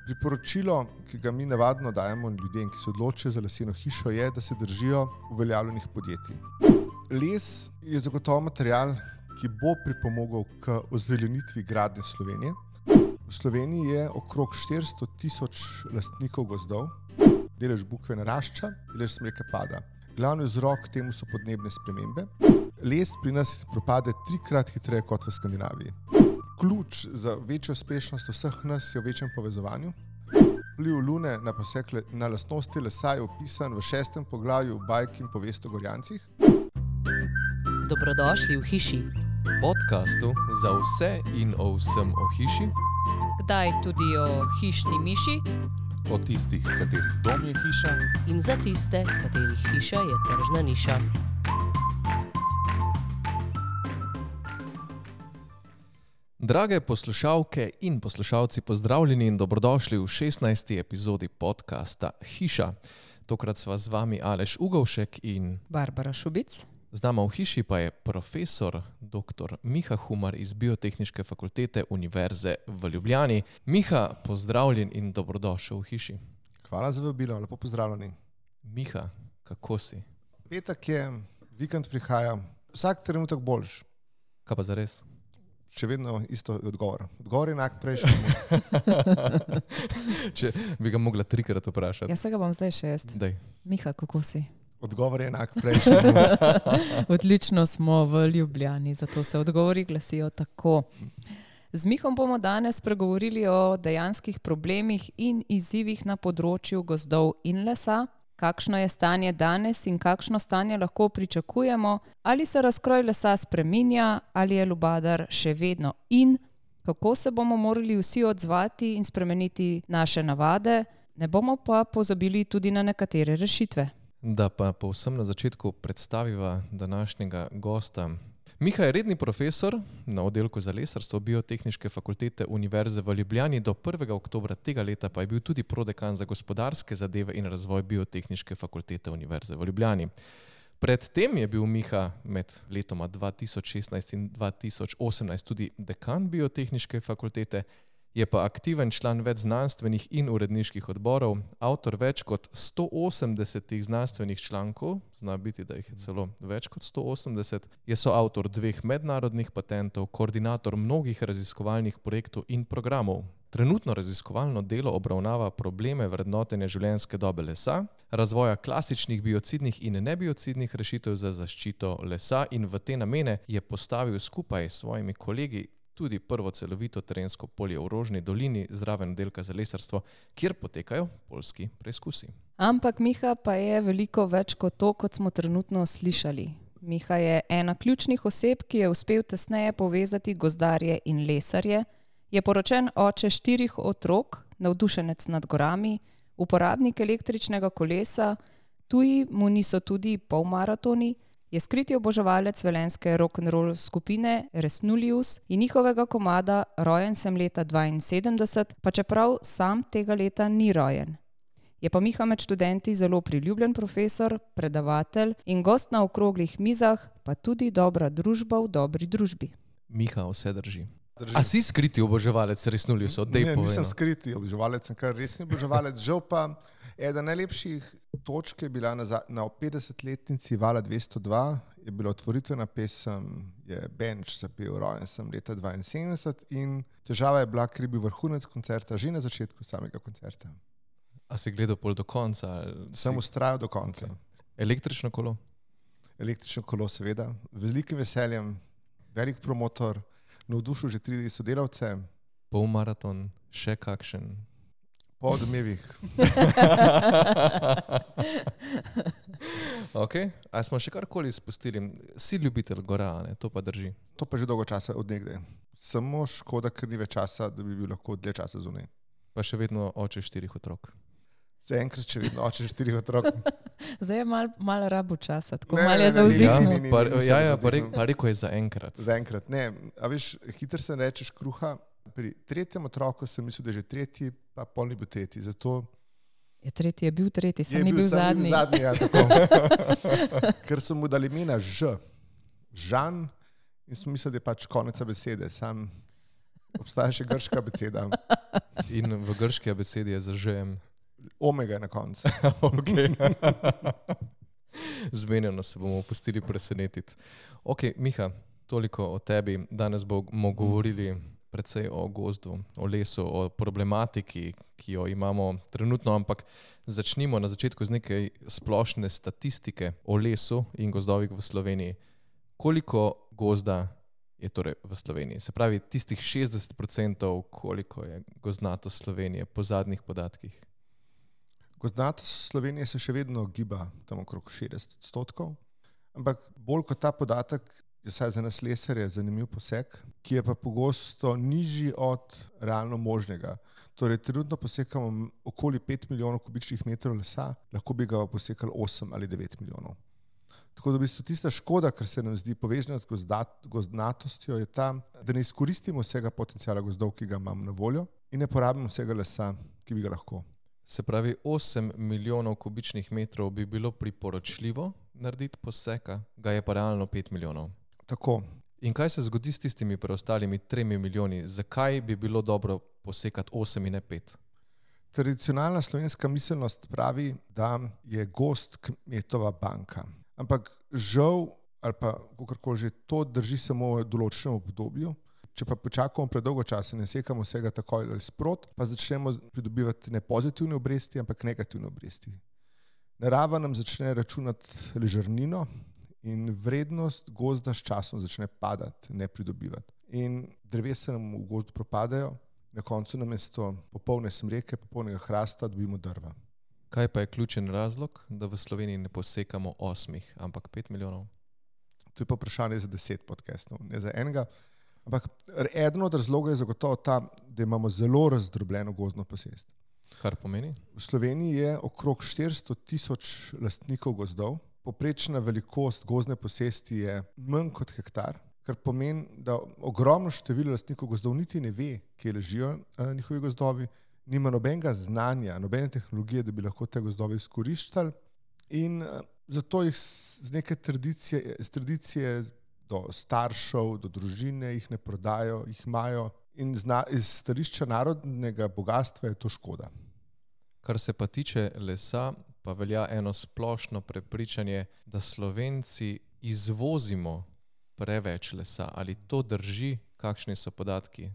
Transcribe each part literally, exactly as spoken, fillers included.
Priporočilo, ki ga mi navadno dajemo ljudem, ki se odločijo za leseno hišo, je, da se držijo uveljavljenih podjetij. Les je zagotovo material, ki bo pripomogel k ozelenitvi gradnje Slovenije. V Sloveniji je okrog štiristo tisoč lastnikov gozdov, delež bukve narašča, delež smreke pada. Glavni vzrok temu so podnebne spremembe. Les pri nas propade trikrat hitreje kot v Skandinaviji. Ključ za večjo uspešnost vseh nas je v večjem povezovanju. Vpliv Lune na poseg na lastnosti lesa je opisan v šestem poglavju bajk in povest o Gorjancih. Dobrodošli v hiši. Podcastu za vse in o vsem o hiši. Kdaj tudi o hišni miši. O tistih, katerih dom je hiša. In za tiste, katerih hiša je tržna niša. Drage poslušalke in poslušalci, pozdravljeni in dobrodošli v šestnajsti epizodi podcasta Hiša. Tokrat sva z vami Aleš Ugovšek in Barbara Šubic. Z nama v hiši pa je profesor doktor Miha Humar iz Biotehniške fakultete Univerze v Ljubljani. Miha, pozdravljen in dobrodošel v hiši. Hvala za vabilo, lepo pozdravljeni. Miha, kako si? Petek je, vikend prihaja, vsak trenutek boljš. Kaj pa zares? Še vedno isto odgovor. Odgovor je enak prejšnji. Če bi ga mogla trikrat vprašati. Jaz se ga bom zdaj šest. Daj. Miha, kako si? Odgovor je enak prejšnji. Odlično smo v Ljubljani, zato se odgovori glasijo tako. Z Mihom bomo danes pregovorili o dejanskih problemih in izzivih na področju gozdov in lesa. Kakšno je stanje danes in kakšno stanje lahko pričakujemo, ali se razkroj lesa spreminja, ali je lubadar še vedno in kako se bomo morali vsi odzvati in spremeniti naše navade, ne bomo pa pozabili tudi na nekatere rešitve. Da pa povsem na začetku predstaviva današnjega gosta. Miha je redni profesor na oddelku za lesarstvo Biotehniške fakultete Univerze v Ljubljani, do prvega oktobra tega leta pa je bil tudi prodekan za gospodarske zadeve in razvoj Biotehniške fakultete Univerze v Ljubljani. Predtem je bil Miha med letoma dva tisoč šestnajst in dva tisoč osemnajst tudi dekan Biotehniške fakultete, je pa aktiven član več znanstvenih in uredniških odborov, avtor več kot sto osemdesetih znanstvenih člankov, zna biti, da jih je celo več kot sto osemdeset, je soavtor dveh mednarodnih patentov, koordinator mnogih raziskovalnih projektov in programov. Trenutno raziskovalno delo obravnava probleme vrednotenja življenjske dobe lesa, razvoja klasičnih biocidnih in nebiocidnih rešitev za zaščito lesa in v te namene je postavil skupaj s svojimi kolegi tudi prvo celovito terensko polje v Rožni dolini zraven oddelka za lesarstvo, kjer potekajo poljski preizkusi. Ampak Miha pa je veliko več kot to, kot smo trenutno slišali. Miha je ena ključnih oseb, ki je uspel tesneje povezati gozdarje in lesarje, je poročen oče štirih otrok, navdušenec nad gorami, uporabnik električnega kolesa, tuji mu niso tudi polmaratoni, je skriti oboževalec velenjske rock'n'roll skupine Resnullius in njihovega komada Rojen sem leta dvainsedemdeset, pa čeprav sam tega leta ni rojen. Je pa Miha med študenti zelo priljubljen profesor, predavatelj in gost na okroglih mizah, pa tudi dobra družba v dobri družbi. Miha, vse drži. Drži. A si skriti oboževalec Resnulliusov? Ne, nisem skriti oboževalec, sem kar resni oboževalec. Žal pa ena najlepših točk je bila na, na petdesetletnici Vala dvesto dva, je bila otvoritvena pesem, je Benč zapel Rojen sem leta dvainsedemdeset in težava je bila, ker je bil vrhunec koncerta že na začetku samega koncerta. A si gledal pol do konca? Sem si... ustrajal do konca. Okay. Električno kolo? Električno kolo seveda, z velikim veseljem, velik promotor, navdušil že tri sodelavce. Polmaraton, še kakšen? Po odmevih. Ok, a smo še karkoli spustili? Si ljubitelj gora, ne? To pa drži. To pa že dolgo časa od nekdaj. Samo škoda, ker ni več časa, da bi bil lahko dlje časa zunaj. Pa še vedno oče štirih otrok. Zaenkrat še vedno oče štirih otrok. Zdaj je malo mal rabu časa, tako Ne, malo ne, je ne, za ne, vzdihnu. ni, ni, Pa, nisem ja, ja, za pa, re, vzdihnu. pa rekel je zaenkrat. Zaenkrat, ne. A veš, hitro se rečeš kruha. Pri tretjem otroku sem mislil, da je že tretji, pa pol ni bil tretji. Zato Je tretji je bil tretji, sem je ni bil sam zadnji. zadnji ja, tako. Ker so mu dali imena Ž. Žan in sem mislil, da je pač konec besede. Sam Obstaja še grška abeceda. In v grški abecedi je za žem. Omega je na koncu. Okay. Zmenjeno se bomo pustili presenetiti. Ok, Miha, toliko o tebi. Danes bomo govorili predvsej o gozdu, o lesu, o problematiki, ki jo imamo trenutno, ampak začnimo na začetku z nekaj splošne statistike o lesu in gozdovih v Sloveniji. Koliko gozda je torej v Sloveniji? Se pravi, tistih šestdeset procentov, koliko je gozdnatost Slovenije po zadnjih podatkih? Gozdnatost Slovenije se še vedno giba tam okrog šestdeset odstotkov, ampak bolj kot ta podatek, je vsaj za nas lesarje zanimiv poseg, ki je pa pogosto nižji od realno možnega. Torej, trenutno posekamo okoli pet milijonov kubičnih metrov lesa, lahko bi ga posekali osem ali devet milijonov. Tako da v bistvu tista škoda, kar se nam zdi povezana z gozdnatostjo, je ta, da ne izkoristimo vsega potenciala gozdov, ki ga imamo na voljo, in ne porabimo vsega lesa, ki bi ga lahko. Se pravi, osem milijonov kubičnih metrov bi bilo priporočljivo narediti poseka, ga je pa realno pet milijonov. Tako. In kaj se zgodi s tistimi preostalimi tremi milijoni? Zakaj bi bilo dobro posekati osem in ne pet? Tradicionalna slovenska miselnost pravi, da je gozd kmetova banka. Ampak žal, ali pa kakorkoli že, to drži samo v določenem obdobju. Če pa počakamo predolgo časa, ne sekamo vsega takoj ali sprot, pa začnemo pridobivati ne pozitivne obresti, ampak negativne obresti. Narava nam začne računati ležernino in vrednost gozda s časom začne padati, ne pridobivati. In drevesa nam v gozdu propadajo, na koncu namesto popolne smreke, popolnega hrasta dobimo drva. Kaj pa je ključen razlog, da v Sloveniji ne posekamo osmih, ampak pet milijonov? To je pa vprašanje za deset podcastov, ne za enega. Ampak eden od razlogov je zagotovo ta, da imamo zelo razdrobljeno gozdno posest. Kar pomeni? V Sloveniji je okrog štiristo tisoč lastnikov gozdov, poprečna velikost gozdne posesti je manj kot hektar, kar pomeni, da ogromno število lastnikov gozdov niti ne ve, kje ležijo eh, njihovi gozdovi, nima nobenega znanja, nobene tehnologije, da bi lahko te gozdove izkoriščali, in eh, zato jih z neke tradicije, z tradicije do staršev, do družine jih ne prodajo, jih imajo, in zna, iz stališča narodnega bogatstva je to škoda. Kar se pa tiče lesa, pa velja eno splošno prepričanje, da Slovenci izvozimo preveč lesa. Ali to drži? Kakšni so podatki?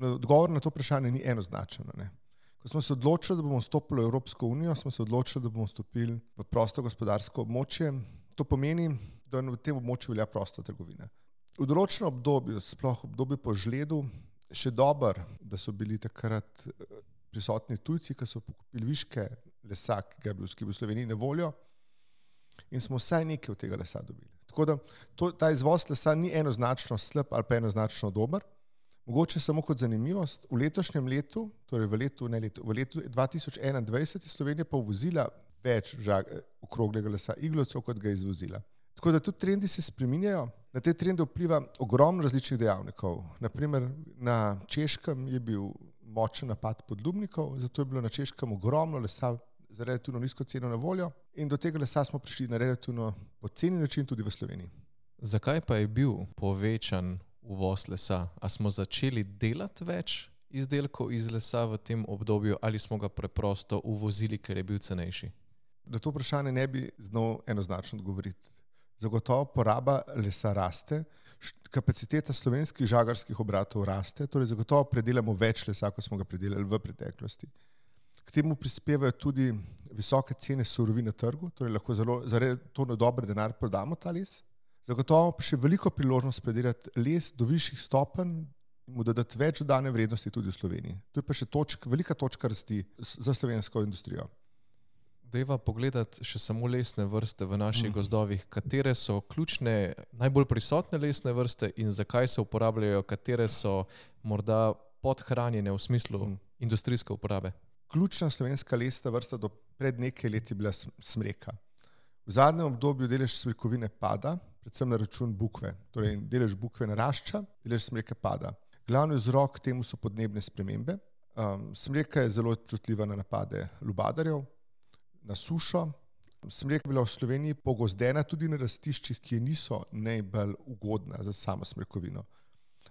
Odgovor na to vprašanje ni enoznačen. Ne? Ko smo se odločili, da bomo vstopili v Evropsko unijo, smo se odločili, da bomo vstopili v prosto gospodarsko območje. To pomeni, da v tem območju velja prosta trgovina. V določenem obdobju, sploh obdobju po žledu, še dober, da so bili takrat prisotni tujci, ki so pokupili viške lesa, ki ga je bilo v Sloveniji na voljo, in smo vsaj nekaj od tega lesa dobili. Tako da to, ta izvoz lesa ni enoznačno slab ali pa enoznačno dober. Mogoče samo kot zanimivost, v letošnjem letu, torej v letu, ne letu, v letu dva tisoč enaindvajset je Slovenija pa uvozila več žag, okroglega lesa iglovcev, kot ga je izvozila. Tako da tudi trendi se spreminjajo. Na te trende vpliva ogromno različnih dejavnikov. Naprimer, na Češkem je bil močen napad podlubnikov, zato je bilo na Češkem ogromno lesa za relativno nizko ceno na voljo, in do tega lesa smo prišli na relativno poceni način tudi v Sloveniji. Zakaj pa je bil povečan uvoz lesa? A smo začeli delati več izdelkov iz lesa v tem obdobju ali smo ga preprosto uvozili, ker je bil cenejši? Na to vprašanje ne bi znal enoznačno odgovoriti. Zagotovo poraba lesa raste, kapaciteta slovenskih žagarskih obratov raste, torej zagotovo predelamo več lesa, kot smo ga predelali v preteklosti. K temu prispevajo tudi visoke cene surovin na trgu, torej lahko zelo zaradi to na dober denar prodamo ta les. Zagotovo pa še veliko priložnost predelati les do višjih stopenj in mu dodati več dodane vrednosti tudi v Sloveniji. To je pa še točk, velika točka rasti za slovensko industrijo. Dejva pogledati še samo lesne vrste v naših mm. gozdovih. Katere so ključne, najbolj prisotne lesne vrste in zakaj se uporabljajo, katere so morda podhranjene v smislu mm. industrijske uporabe? Ključna slovenska lesna vrsta do pred nekaj leti bila smreka. V zadnjem obdobju delež smrekovine pada, predvsem na račun bukve. Torej delež bukve narašča, delež smreke pada. Glavni vzrok temu so podnebne spremembe. Um, smreka je zelo čutljiva na napade lubadarjev, na sušo. Smreka je bila v Sloveniji pogozdena tudi na rastiščih, ki niso najbolj ugodna za samo smrekovino.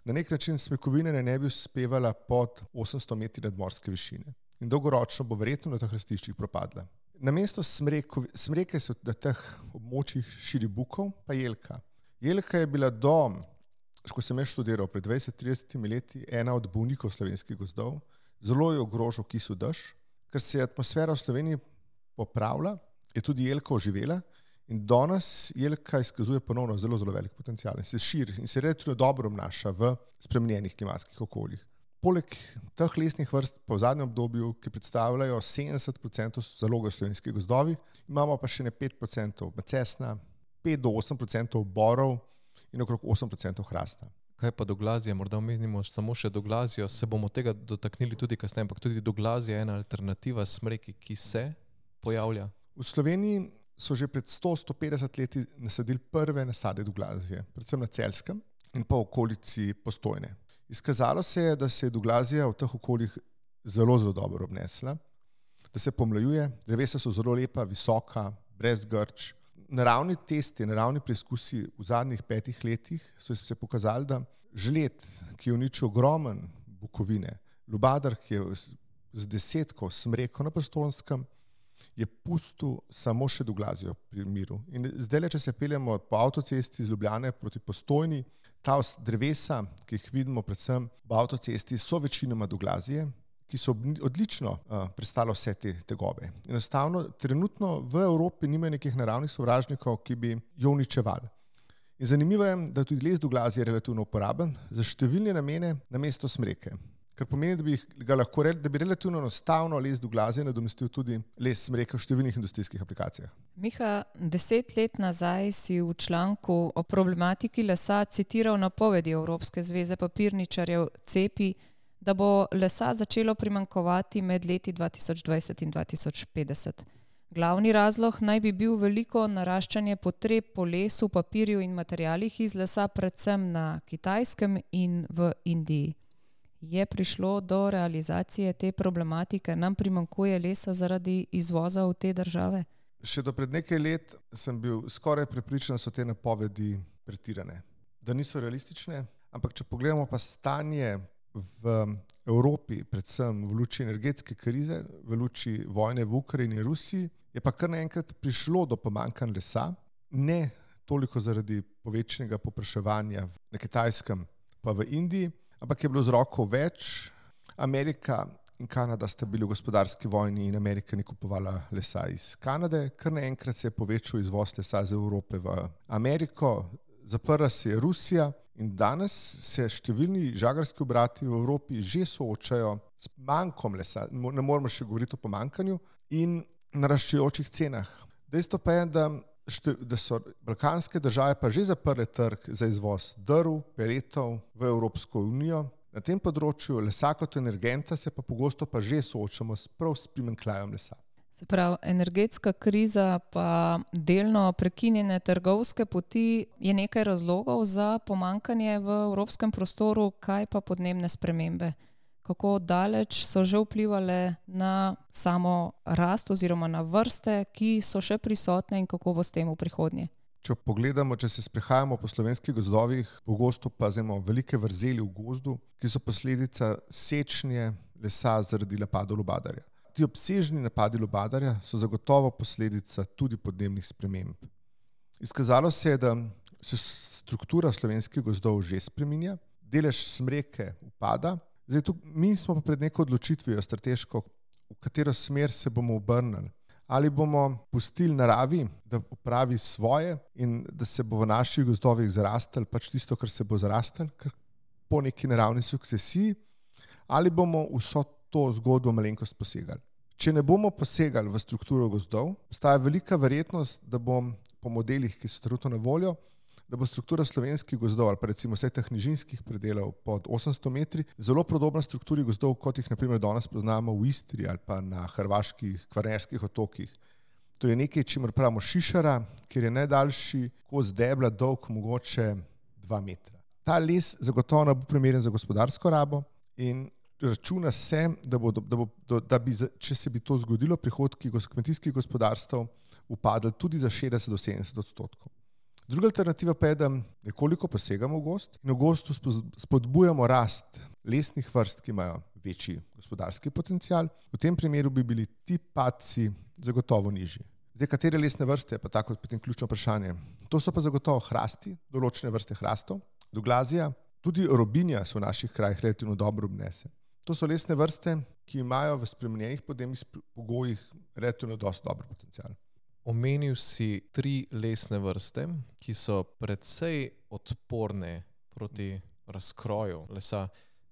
na nek način smrekovina ne bi uspevala pod osemsto metri nadmorske višine. In dolgoročno bo verjetno na teh rastiščih propadla. Namesto smreko, smreke so na teh območjih širi bukov, pa jelka. Jelka je bila do, ko sem jaz študiral pred dvajset do trideset leti, ena od bolnikov slovenskih gozdov. Zelo je ogrožal kisel dež, ker se je atmosfera v Sloveniji popravila, je tudi jelka oživela in danes jelka izkazuje ponovno zelo, zelo velik potencial in se širi in se relativno dobro obnaša v spremenjenih klimatskih okoljih. Poleg teh lesnih vrst pa v zadnjem obdobju, ki predstavljajo sedemdeset procentov zaloge slovenskih gozdovih, imamo pa še ne pet procentov macesna, pet do osem procentov borov in okrog osem procentov hrasta. Kaj pa doglazje? Morda omenimo samo še doglazijo, se bomo tega dotaknili tudi kasneje, ampak tudi doglazje je ena alternativa smreki, ki se pojavlja. V Sloveniji so že pred sto do sto petdeset leti nasadili prve nasade doglazije, predvsem na Celjskem in pa v okolici Postojne. Izkazalo se je, da se je doglazija v teh okoljih zelo, zelo dobro obnesla, da se pomlajuje, drevesa so zelo lepa, visoka, brez grč. Naravni testi, naravni preizkusi v zadnjih petih letih so se pokazali, da žled, ki je uničil ogromen bukovine, lubadar, ki je z desetko smreko na Postojnskem, je pustil samo še doglazijo pri miru. In zdaj, če se peljemo po avtocesti iz Ljubljane proti Postojni, ta drevesa, ki jih vidimo predvsem v avtocesti, so večinoma doglazije, ki so odlično uh, prestalo vse te tegobe. Enostavno, trenutno v Evropi nimajo nekih naravnih sovražnikov, ki bi jo uničevali. In zanimivo je, da tudi les doglazije je relativno uporaben za številne namene namesto smreke. Kar pomeni, da bi, ga lahko, da bi relativno enostavno les doglazije nadomestil tudi les smreke v številnih industrijskih aplikacijah. Miha, deset let nazaj si v članku o problematiki lesa citiral napovedi Evropske zveze papirničarjev Cepi, da bo lesa začelo primanjkovati med leti dva tisoč dvajset in dva tisoč petdeset. Glavni razlog naj bi bil veliko naraščanje potreb po lesu, papirju in materialih iz lesa, predvsem na Kitajskem in v Indiji. Je prišlo do realizacije te problematike? Nam primanjkuje lesa zaradi izvoza v te države? Še do pred nekaj let sem bil skoraj prepričan, da so te napovedi pretirane, da niso realistične, ampak če pogledamo pa stanje v Evropi, predvsem v luči energetske krize, v luči vojne v Ukrajini in Rusiji, je pa kar naenkrat prišlo do pomanjkanja lesa, ne toliko zaradi povečanega povpraševanja na Kitajskem pa v Indiji, ampak je bilo vzrokov več. Amerika in Kanada sta bili v gospodarski vojni in Amerika ni kupovala lesa iz Kanade, kar naenkrat se je povečal izvoz lesa iz Evrope v Ameriko, zaprla se je Rusija in danes se številni žagarski obrati v Evropi že soočajo s manjkom lesa, ne moramo še govoriti o pomanjkanju in naraščajočih cenah. Dejstvo pa je, da, šte, da so balkanske države pa že zaprle trg za izvoz drv, peletov v Evropsko unijo. Na tem področju lesa kot energenta se pa pogosto pa že soočamo s prav s primanjkljajem lesa. Se pravi, energetska kriza pa delno prekinjene trgovske poti je nekaj razlogov za pomanjkanje v evropskem prostoru, kaj pa podnebne spremembe? Kako daleč so že vplivale na samo rast oziroma na vrste, ki so še prisotne in kako bo s tem v prihodnje? Če pogledamo, če se sprehajamo po slovenskih gozdovih, pogosto pa imamo velike vrzeli v gozdu, ki so posledica sečnje lesa zaradi napadov lubadarja. Ti obsežni napadi lubadarja so zagotovo posledica tudi podnebnih sprememb. Izkazalo se je, da se struktura slovenskih gozdov že spreminja, delež smreke upada. Zdaj, tu, mi smo pa pred neko odločitvijo strateško, v katero smer se bomo obrnili. Ali bomo pustili naravi, da opravi svoje in da se bo v naših gozdovih zarastel pač tisto, kar se bo zarastel, kar po neki naravni sukcesiji, ali bomo vso to zgodbo malenkost posegali. Če ne bomo posegali v strukturo gozdov, obstaja velika verjetnost, da bom po modelih, ki so trenutno na voljo, da bo struktura slovenskih gozdov ali pa recimo vseh teh nižinskih predelov pod osemsto metri zelo podobna strukturi gozdov, kot jih naprimer danes poznamo v Istri ali pa na hrvaških kvarnerskih otokih. To je nekaj, čemer pravimo šišara, kjer je najdaljši kos debla dolg mogoče dva metra. Ta les zagotovo bo primeren za gospodarsko rabo in računa se, da, bo, da, bo, da bi, če se bi to zgodilo, prihodki kmetijskih gospodarstv upadli tudi za šestdeset do sedemdeset odstotkov. Druga alternativa pa je, da nekoliko posegamo v gozd in v gozdu spodbujamo rast lesnih vrst, ki imajo večji gospodarski potencial. V tem primeru bi bili ti padci zagotovo nižji. Zdaj, katere lesne vrste je pa tako potem ključno vprašanje. To so pa zagotovo hrasti, določene vrste hrastov, doglazija, tudi robinja se v naših krajih relativno dobro obnese. To so lesne vrste, ki imajo v spremenjenih podnebnih pogojih relativno dosti dober potencial. Omenil si tri lesne vrste, ki so precej odporne proti razkroju lesa.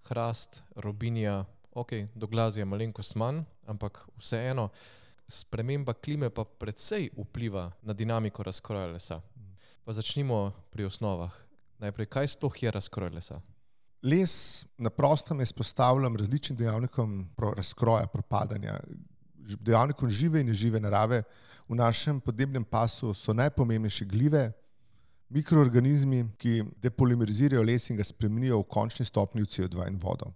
Hrast, robinja, ok, doglazija malenkost manj, ampak vseeno sprememba klime pa precej vpliva na dinamiko razkroja lesa. Pa začnimo pri osnovah. Najprej, kaj sploh je razkroj lesa? Les na prostem je izpostavljen različnim dejavnikom razkroja, propadanja, dejavnikom žive in nežive narave. V našem podnebnem pasu so najpomembnejše glive, mikroorganizmi, ki depolimerizirajo les in ga spremenijo v končni stopnji v C O dva in vodo.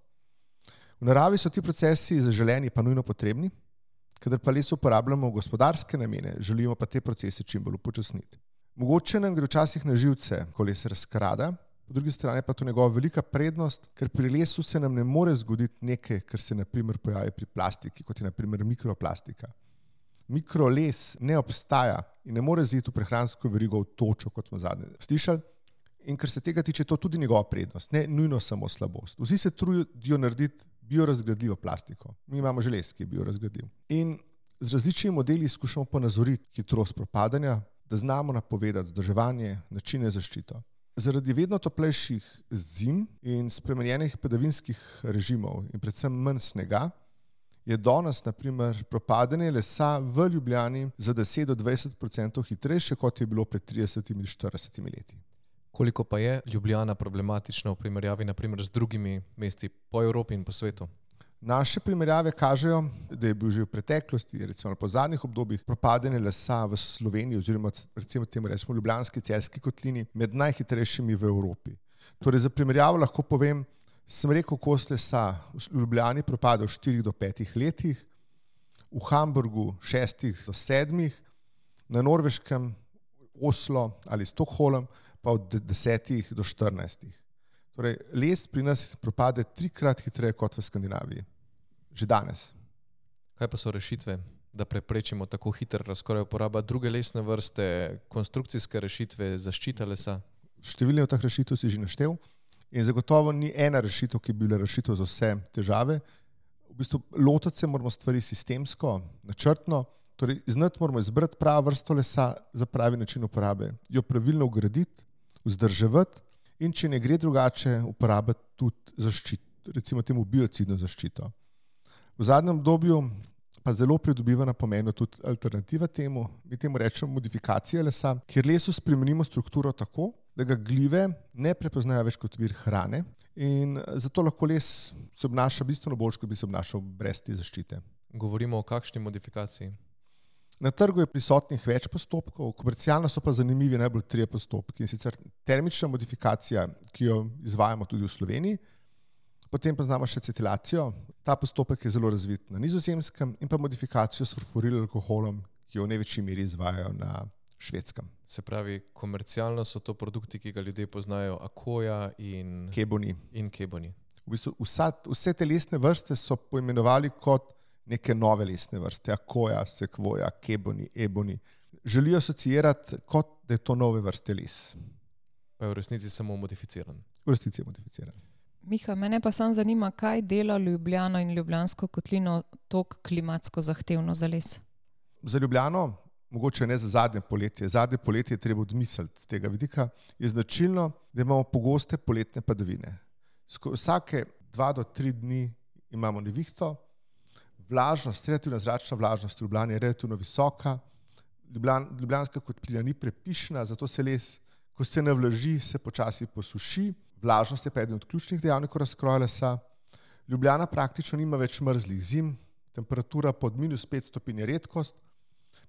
V naravi so ti procesi zaželeni pa nujno potrebni, kadar pa les uporabljamo v gospodarske namene, želimo pa te procese čim bolj upočasniti. Mogoče nam gre včasih na živce, ko les razkrada, po drugi strani pa to njegova velika prednost, ker pri lesu se nam ne more zgoditi nekaj, kar se na primer pojavi pri plastiki, kot je na primer mikroplastika. Mikroles ne obstaja in ne more ziti v prehransko verigo v točo, kot smo zadnje slišali. In ker se tega tiče, to tudi njegova prednost, ne nujno samo slabost. Vsi se trudijo narediti biorazgradljivo plastiko. Mi imamo že les, ki je biorazgradljiv. In z različnimi modeli skušamo ponazoriti hitrost propadanja, da znamo napovedati vzdrževanje, načine zaščito. Zaradi vedno toplejših zim in spremenjenih padavinskih režimov in predvsem manj snega, je danes, na primer, propadanje lesa v Ljubljani za deset do dvajset procentov hitrejše, kot je bilo pred tridesetimi do štiridesetimi leti. Koliko pa je Ljubljana problematična v primerjavi na primer z drugimi mesti po Evropi in po svetu? Naše primerjave kažejo, da je bil že v preteklosti, recimo po zadnjih obdobjih, propadanje lesa v Sloveniji oziroma recimo temu rečemo Ljubljanski celjski kotlini med najhitrejšimi v Evropi. Torej za primerjavo lahko povem, sem rekel, kos lesa v Ljubljani propada v štirih do petih letih, v Hamburgu šestih do sedmih, na Norveškem, Oslo ali Stockholm pa od desetih do štirinajstih. Torej, les pri nas propade trikrat hitreje kot v Skandinaviji. Že danes. Kaj pa so rešitve, da preprečimo tako hiter razkroj? Uporaba druge lesne vrste, konstrukcijske rešitve, zaščita lesa? Številne od teh rešitev si že naštel in zagotovo ni ena rešitev, ki bi bila rešitev za vse težave. V bistvu lotiti se moramo stvari sistemsko, načrtno, torej znati moramo izbrati pravo vrsto lesa za pravi način uporabe, jo pravilno ugraditi, vzdrževati in če ne gre drugače, uporabiti tudi zaščito, recimo temu biocidno zaščito. V zadnjem obdobju pa zelo pridobiva na pomenu tudi alternativa temu, mi temu rečemo modifikacija lesa, kjer lesu spremenimo strukturo tako, da ga glive ne prepoznajo več kot vir hrane in zato lahko les se obnaša bistveno bolj, kot bi se obnašal brez te zaščite. Govorimo o kakšni modifikaciji? Na trgu je prisotnih več postopkov, komercialno so pa zanimivi najbolj trije postopki. In sicer termična modifikacija, ki jo izvajamo tudi v Sloveniji, potem pa znamo še acetilacijo. Ta postopek je zelo razvit na Nizozemskem in pa modifikacijo s furfurilim alkoholom, ki jo v največji meri izvajajo na Švedskem. Se pravi, komercialno so to produkti, ki ga ljudje poznajo, akoja in Keboni. In keboni. V bistvu vsa, vse te lesne vrste so poimenovali kot neke nove lesne vrste, akoja, sekvoja, keboni, eboni. Želijo asociirati, kot da je to nove vrste les. Pa je v resnici samo modificiran. V resnici je modificiran. Miha, mene pa sam zanima, kaj dela Ljubljano in Ljubljansko kotlino toliko klimatsko zahtevno za les? Za Ljubljano, mogoče ne za zadnje poletje, zadnje poletje je treba odmisliti z tega vidika, je značilno, da imamo pogoste poletne padavine. Vsake dva do tri dni imamo nevihto, vlažnost, relativna zračna vlažnost v Ljubljani je relativno visoka, Ljubljan, Ljubljanska kotlina ni prepišna, zato se les, ko se navlaži, se počasi posuši, vlažnost je pa eden od ključnih dejavnikov razkroja lesa. Ljubljana praktično nima več mrzlih zim, temperatura pod minus pet stopinj je redkost,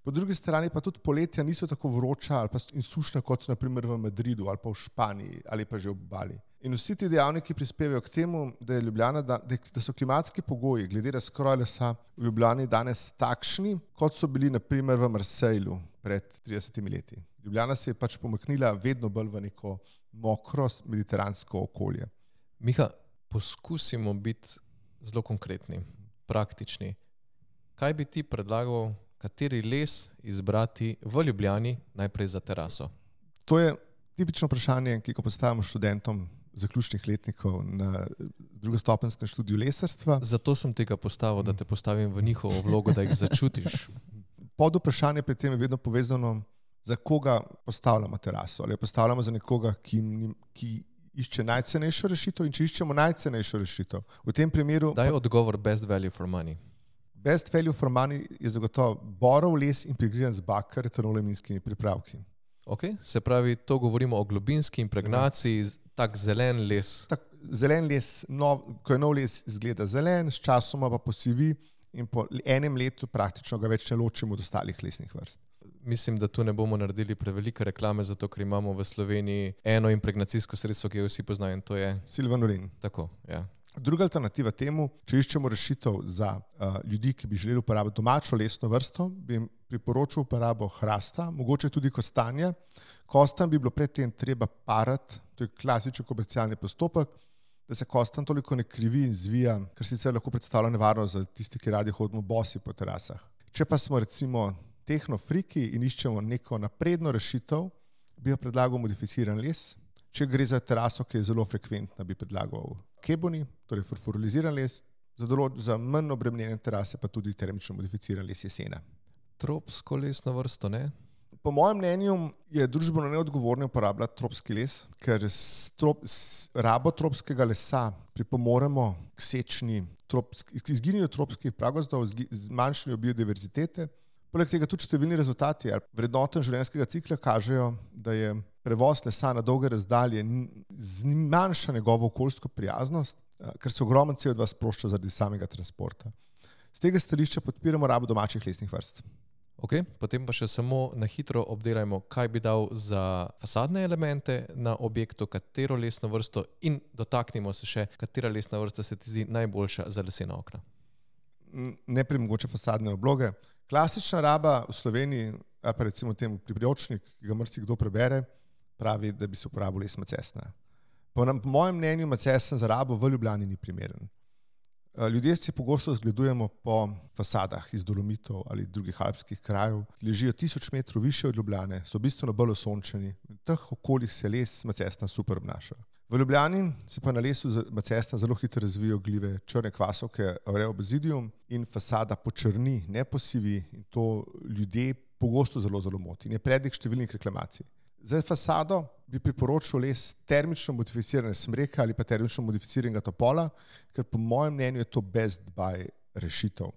po drugi strani pa tudi poletja niso tako vroča ali pa in sušna, kot so na primer v Madridu ali pa v Španiji ali pa že v Bali. In vsi ti dejavniki prispevajo k temu, da, je Ljubljana, da, da so klimatski pogoji glede razkroja lesa v Ljubljani danes takšni, kot so bili na primer v Marsejlu pred tridesetimi leti. Ljubljana se je pač pomaknila vedno bolj v neko mokro mediteransko okolje. Miha, poskusimo biti zelo konkretni, praktični. Kaj bi ti predlagal, kateri les izbrati v Ljubljani najprej za teraso? To je tipično vprašanje, ki ga postavimo študentom zaključnih letnikov na drugostopenskem študiju lesarstva. Zato sem tega postavil, da te postavim v njihovo vlogo, da jih začutiš. Pod vprašanje pri tem je vedno povezano, za koga postavljamo teraso. Ali jo postavljamo za nekoga, ki, ki išče najcenejšo rešitev, in če iščemo najcenejšo rešitev. V tem primeru... Daj odgovor best value for money. Best value for money je zagotovo borov les impregriran z bakar, etanoleminskimi pripravki. Okay. Se pravi, to govorimo o globinski impregnaciji, tak zelen les. Tak, zelen les, nov, ko je nov les, izgleda zelen, s časoma pa posivi in po enem letu praktično ga več ne ločimo od ostalih lesnih vrst. Mislim, da tu ne bomo naredili prevelike reklame, zato ker imamo v Sloveniji eno impregnacijsko sredstvo, ki jo vsi poznajo, in to je Silvanurin. Tako, ja. Druga alternativa temu, če iščemo rešitev za uh, ljudi, ki bi želeli uporabiti domačo lesno vrsto, bi jim priporočil uporabo hrasta, mogoče tudi kostanja. Kostan bi bilo predtem treba parati, to je klasičen komercialni postopek, da se kostan toliko ne krivi in zvija, ker sicer lahko predstavlja nevarnost za tisti, ki radi hodimo bosi po terasah. Če pa smo recimo tehnofriki in iščemo neko napredno rešitev, bi jo predlagal modificiran les. Če gre za teraso, ki je zelo frekventna, bi predlagal keboni, torej fosforiziran les, za, dolo, za manj obremenjene terase pa tudi termično modificiran les jesena. Tropsko lesno vrsto, ne? Po mojem mnenju je družbeno neodgovorno uporabljati tropski les, ker s, trop, s rabo tropskega lesa pripomoremo k sečni, tropski, k izginjenju tropskih pragozdov, zmanjšanju biodiverzitete. Poleg tega tudi številni rezultati vrednoten življenjskega cikla kažejo, da je prevoz lesa na dolge razdalje zmanjša njegovo okoljsko prijaznost, ker se ogromen C O dva sprošča zaradi samega transporta. Z tega stališča podpiramo rabo domačih lesnih vrst. Ok, potem pa še samo na hitro obdelajmo, kaj bi dal za fasadne elemente na objektu, katero lesno vrsto, in dotaknimo se še, katera lesna vrsta se ti zdi najboljša za lesena okna. Najprej mogoče fasadne obloge. Klasična raba v Sloveniji, pa recimo temu priročnik, ki ga marsikdo prebere, pravi, da bi se uporabil les macesna. Po, po mojem mnenju macesen za rabo v Ljubljani ni primeren. Ljudje si pogosto zgledujemo po fasadah iz dolomitov ali drugih alpskih krajev, ki ležijo tisoč metrov više od Ljubljane, so bistveno bolj osončeni. V teh okoljih se les macesna super obnaša. V Ljubljani se pa na lesu macesna zelo hitro razvijajo gljive črne kvasovke Aurea obsidium in fasada počrni, ne posivi, in to ljudje pogosto zelo zelo moti. Je prednik številnih reklamacij. Za fasado bi priporočil les termično modificirane smreke ali pa termično modificiranega topola, ker po mojem mnenju je to best buy rešitev.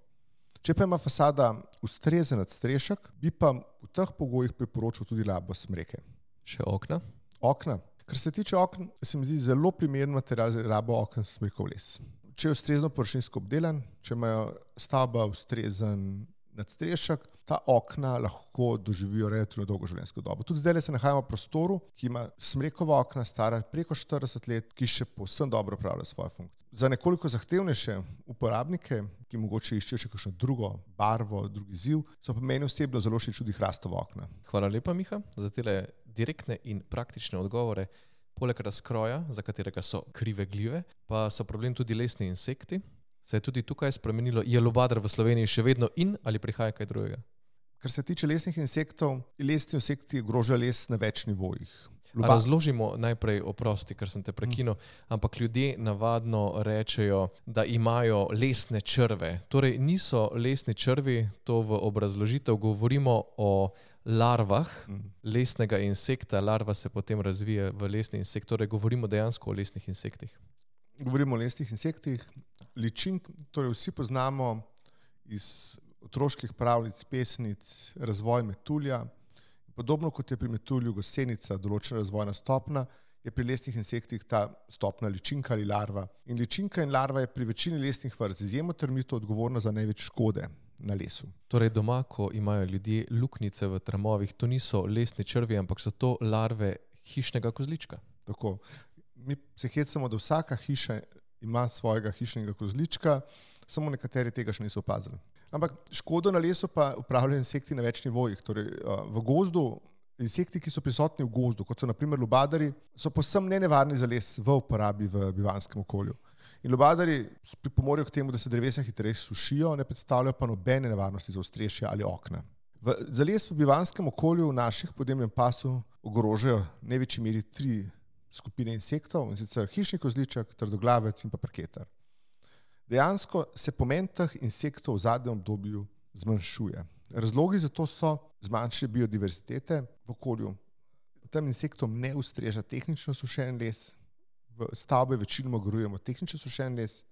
Če pa ima fasada ustrezen nadstrešek, bi pa v teh pogojih priporočil tudi rabo smreke. Še okna? Okna. Kar se tiče okn, se mi zdi zelo primeren material za rabo okn smrekov les. Če je ustrezno površinsko obdelan, če imajo stavba ustrezen nadstrešek, ta okna lahko doživijo relativno dolgo življenjsko dobo. Tudi zdaj se nahajamo v prostoru, ki ima smrekova okna stara preko štirideset let, ki še povsem dobro opravlja svojo funkcijo. Za nekoliko zahtevnejše uporabnike, ki mogoče iščejo še kakšno drugo barvo, drugi izziv, so pa meni osebno zelo všeč tudi hrastova okna. Hvala lepa, Miha, za tele direktne in praktične odgovore. Poleg razkroja, za katerega so krive gljive, pa so problem tudi lesni insekti. Se je tudi tukaj spremenilo? Je lubadar v Sloveniji še vedno in ali prihaja kaj drugega? Kar se tiče lesnih insektov, lesni insekti ogrožajo les na več nivojih. Luba... Razložimo najprej, oprosti, ker sem te prekinil, ampak ljudje navadno rečejo, da imajo lesne črve. Torej niso lesni črvi, to v obrazložitev govorimo o larvah lesnega insekta. Larva se potem razvije v lesni insekt, torej govorimo dejansko o lesnih insektih. Govorimo o lesnih insektih. Ličink, torej vsi poznamo iz otroških pravljic, pesnic, razvoj metulja. Podobno kot je pri metulju gosenica določena razvojna stopna, je pri lesnih insektih ta stopna ličinka ali larva. In ličinka in larva je pri večini lesnih vrst izjemno termito odgovorna za največ škode na lesu. Torej doma, ko imajo ljudje luknjice v tramovih, to niso lesni črvi, ampak so to larve hišnega kozlička. Tako. Mi se hecamo, da vsaka hiša ima svojega hišnega kozlička, samo nekateri tega še niso opazili. Ampak škodo na lesu pa upravljajo insekti na več nivojih. Torej, v gozdu insekti, ki so prisotni v gozdu, kot so naprimer lubadari, so povsem nenevarni za les v uporabi v bivanskem okolju. In lubadari pripomorejo k temu, da se drevesa hitreje sušijo, ne predstavljajo pa nobene nevarnosti za ostrešje ali okna. V, za les v bivanskem okolju v naših podnebnem pasu ogrožajo v največji meri tri skupine insektov, in sicer hišni kozliček, trdoglavec in pa parketar. Dejansko se pomen teh insektov v zadnjem obdobju zmanjšuje. Razlogi za to so zmanjšanje biodiverzitete v okolju. Tem insektom ne ustreža tehnično sušen les, v stavbe večinoma grujemo tehnično sušen les.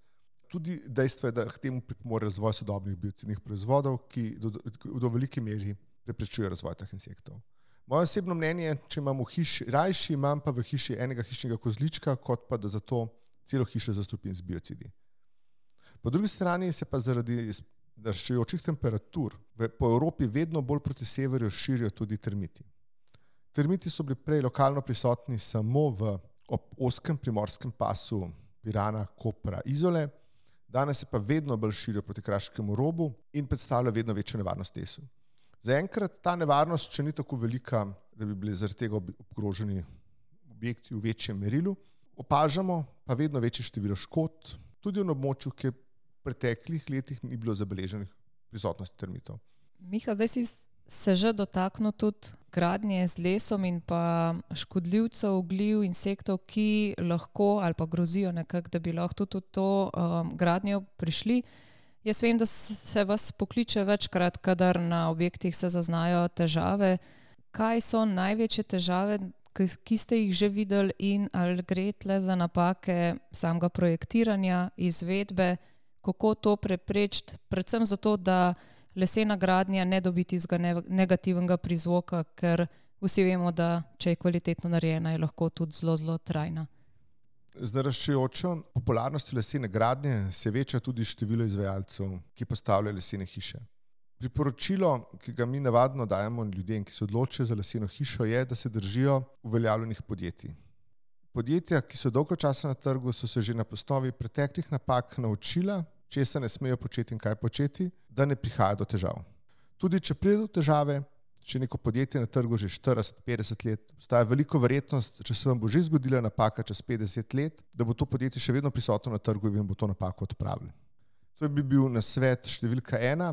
Tudi dejstvo je, da k temu pripomore razvoj sodobnih biocidnih proizvodov, ki do, do, do velike meri preprečuje razvoj teh insektov. Moje osebno mnenje je, če imam v hiši, rajši imam pa v hiši enega hišnega kozlička, kot pa da za to celo hišo zastrupim z biocidi. Po drugi strani se pa zaradi naraščajočih temperatur v, po Evropi vedno bolj proti severju širijo tudi termiti. Termiti so bili prej lokalno prisotni samo v ob ozkem primorskem pasu Pirana, Kopra, Izole, danes se pa vedno bolj širijo proti kraškemu robu in predstavlja vedno večjo nevarnost lesu. Zaenkrat ta nevarnost še ni tako velika, da bi bili zaradi tega ogroženi objekti v večjem merilu. Opažamo pa vedno večje število škod, tudi v območju, ki v preteklih letih ni bilo zabeleženih prisotnosti termitov. Miha, zdaj si se že dotaknil tudi gradnje z lesom in pa škodljivcev, gljiv, insektov, ki lahko ali pa grozijo nekako, da bi lahko tudi v to um, gradnjo prišli. Jaz vem, da se vas pokliče večkrat, kadar na objektih se zaznajo težave. Kaj so največje težave, ki ste jih že videli, in ali gre tle za napake samega projektiranja, izvedbe, kako to preprečiti, predvsem zato, da lesena gradnja ne dobi tistega negativnega prizvoka, ker vsi vemo, da če je kvalitetno narejena, je lahko tudi zelo, zelo trajna. Z naraščajočo popularnostjo lesene gradnje se veča tudi število izvajalcev, ki postavljajo lesene hiše. Priporočilo, ki ga mi navadno dajemo ljudem, ki se odločijo za leseno hišo, je, da se držijo uveljavljenih podjetij. Podjetja, ki so dolgo časa na trgu, so se že na osnovi preteklih napak naučila, česa ne smejo početi in kaj početi, da ne prihaja do težav. Tudi če pride do težave, če neko podjetje na trgu že štirideset petdeset let, obstaja veliko verjetnost, če se vam bo že zgodila napaka čez petdeset let, da bo to podjetje še vedno prisotno na trgu in bo to napako odpravilo. To bi bil nasvet številka ena.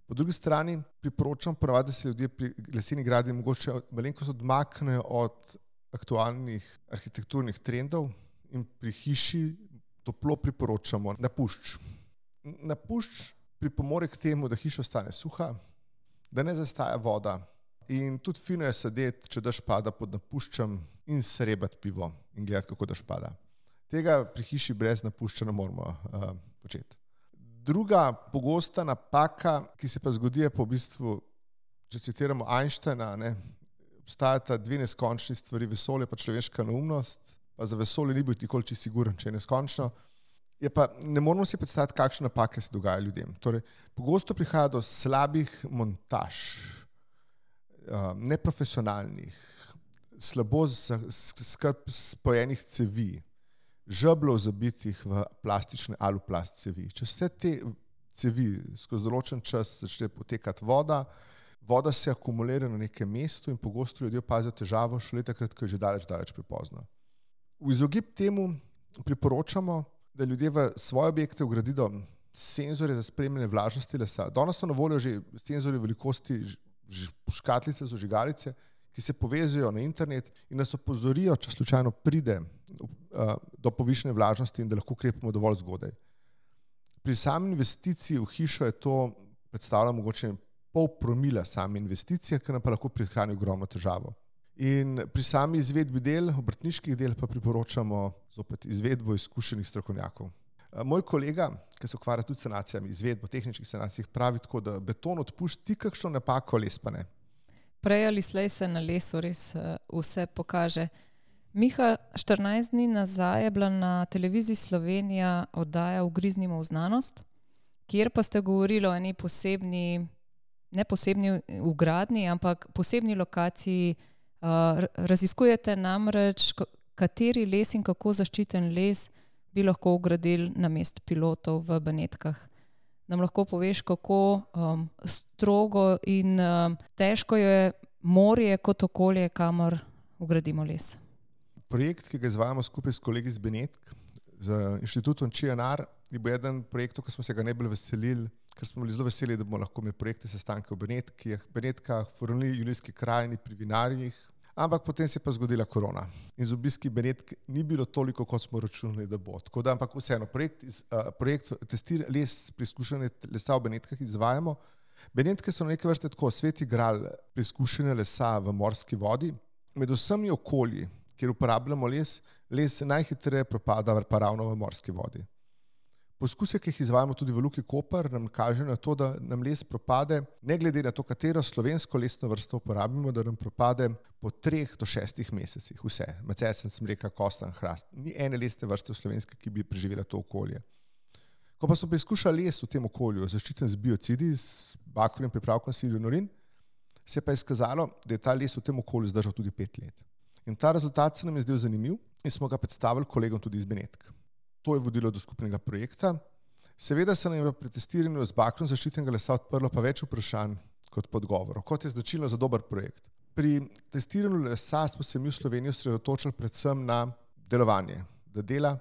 Po drugi strani priporočam ponavadi, da se ljudje pri leseni gradnji mogoče malenkost odmaknejo od aktualnih arhitekturnih trendov in pri hiši toplo priporočamo napušč. Napušč pripomore k temu, da hiša ostane suha, da ne zastaja voda in tudi fino je sedeti, če dež pada pod napuščem in srebati pivo in gledati, kako dež pada. Tega pri hiši brez napušča ne moramo uh, početi. Druga pogosta napaka, ki se pa zgodi, je pa v bistvu, če citiramo Einsteina, ne, obstajata dve neskončni stvari, vesolje pa človeška neumnost, pa za vesolje ni bil nikoli čisto siguren, če je neskončno. Je pa, ne moramo si predstaviti, kakšne napake se dogajajo ljudem. Torej, pogosto prihaja do slabih montaž, neprofesionalnih, slabo skrb spojenih cevi, žeblov zabitih v plastične aluplast cevi. Če vse te cevi skozi določen čas začne potekati voda, voda se akumulira na nekem mestu in pogosto ljudje opazijo težavo šele takrat, ko je že daleč, daleč prepozno. V izogib temu priporočamo, da ljudje v svoje objekte vgradijo senzorje za spremljanje vlažnosti lesa. Danes so na voljo že senzorji velikosti škatlice, zožigalice, ki se povezujejo na internet in nas opozorijo, če slučajno pride uh, do povišene vlažnosti in da lahko ukrepamo dovolj zgodaj. Pri sami investiciji v hišo je to predstavlja mogoče pol promila same investicije, ki nam pa lahko prihrani ogromno težavo. In pri sami izvedbi del, obrtniških del, pa priporočamo zopet izvedbo izkušenih strokovnjakov. Moj kolega, ki se ukvarja tudi s sanacijami, izvedbo tehničnih sanacij, pravi tako, da beton odpušti kakšno napako, les pa ne. Prej ali slej se na lesu res vse pokaže. Miha, štirinajst dni nazaj je bila na televiziji Slovenija oddaja Ugriznimo v znanost, kjer pa ste govorili o eni posebni, ne posebni vgradnji, ampak posebni lokaciji. Raziskujete namreč, kateri les in kako zaščiten les bi lahko vgradili namesto pilotov v Benetkah. Nam lahko poveš, kako um, strogo in um, težko je morje kot okolje, kamor vgradimo les? Projekt, ki ga izvajamo skupaj s kolegi iz Benetk, z inštitutom Č N R, je bil eden projektov, ki smo se ga najbolj veselili, ker smo bili zelo veseli, da bomo lahko imeli projekte, sestanke v Benetkah, Benetkah, Fornli, Julijski krajini, pri vinarjih, ampak potem se je pa zgodila korona. In z obiski Benetk ni bilo toliko, kot smo računali, da bo. Tako da, ampak vseeno, projekt, iz, uh, projekt testir les, preizkušanje lesa v Benetkah izvajamo. Benetke so na neke vrste tako sveti gral preizkušanja lesa v morski vodi. Med vsemi okolji, kjer uporabljamo les, les najhitreje propada pa ravno v morski vodi. Poskuse, ki jih izvajamo tudi v Luki Koper, nam kaže na to, da nam les propade, ne glede na to, katero slovensko lesno vrsto uporabimo, da nam propade po treh do šestih mesecih. Vse. Macesen, smreka, kostan, hrast. Ni ene lesne vrste v slovenske, ki bi preživela to okolje. Ko pa smo preizkušali les v tem okolju, zaščiten z biocidi, s bakovnim pripravkom silionorin, se pa je izkazalo, da je ta les v tem okolju zdržal tudi pet let. In ta rezultat se nam je zdel zanimiv in smo ga predstavili kolegom tudi iz Benetk. To je vodilo do skupnega projekta. Seveda se nam je pri testiranju z bakrom zaščitenega lesa odprlo pa več vprašanj kot podgovorov, kot je značilno za dober projekt. Pri testiranju lesa smo se mi v Sloveniji osredotočili predvsem na delovanje, da dela,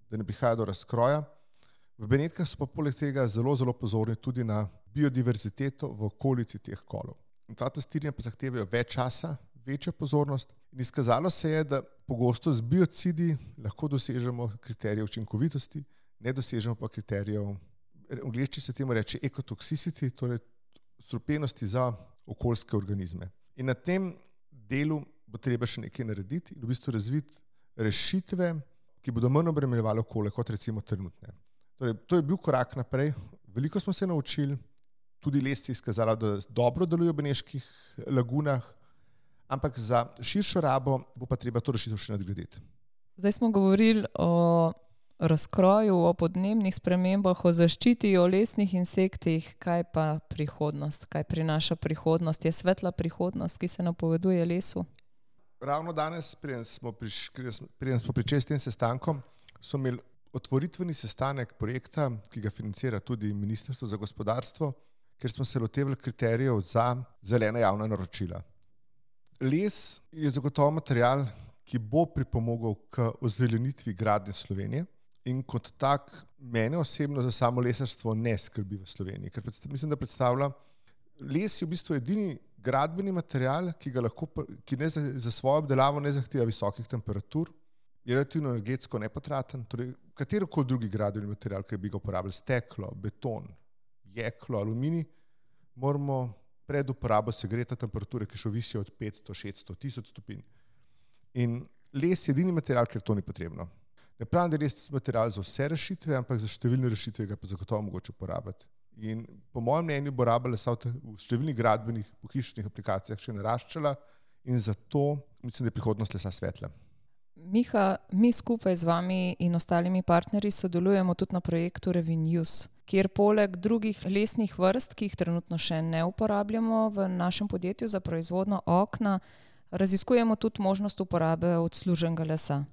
da ne prihaja do razkroja. V Benetkah so pa poleg tega zelo, zelo pozorni tudi na biodiverziteto v okolici teh kolov. In ta testiranja pa zahtevajo več časa, večja pozornost in izkazalo se je, da pogosto z biocidi lahko dosežemo kriterije učinkovitosti, ne dosežemo pa kriterijev, v angleščini se temu reče ekotoxicity, torej strupenosti za okoljske organizme. In na tem delu bo treba še nekaj narediti in v bistvu razviti rešitve, ki bodo manj obremenjevale okolje kot recimo trenutne. Torej, to je bil korak naprej, veliko smo se naučili, tudi les se je izkazalo, da dobro deluje v beneških lagunah, ampak za širšo rabo bo pa treba to rešitev še nadgraditi. Zdaj smo govorili o razkroju, o podnebnih spremembah, o zaščiti, o lesnih insektih. Kaj pa prihodnost? Kaj prinaša prihodnost? Je svetla prihodnost, ki se napoveduje lesu? Ravno danes, preden smo, priš, preden smo pričeli s tem sestankom, so imeli otvoritveni sestanek projekta, ki ga financira tudi Ministrstvo za gospodarstvo, ker smo se lotevali kriterijev za zelena javna naročila. Les je zagotovo material, ki bo pripomogel k ozelenitvi gradnje Slovenije in kot tak mene osebno za samo lesarstvo ne skrbi v Sloveniji, ker mislim, da predstavlja, les je v bistvu edini gradbeni material, ki ga lahko, ki ne za, za svojo obdelavo ne zahteva visokih temperatur, je relativno energetsko nepotraten, torej katerokoli drugi gradbeni material, ki bi ga uporabljali, steklo, beton, jeklo, aluminij, moramo pred uporabo segreta temperature, ki še visijo od petsto, šeststo, tisoč stopinj. In les je edini material, ker to ni potrebno. Ne pravim, da je les material za vse rešitve, ampak za številne rešitve ga pa zagotovo mogoče uporabiti. In po mojem mnenju bo raba lesa v številnih gradbenih, pohištvenih aplikacijah še naraščala in zato mislim, da je prihodnost lesa svetla. Miha, mi skupaj z vami in ostalimi partnerji sodelujemo tudi na projektu Revinuse, kjer poleg drugih lesnih vrst, ki jih trenutno še ne uporabljamo v našem podjetju za proizvodnjo okna, raziskujemo tudi možnost uporabe odsluženega lesa.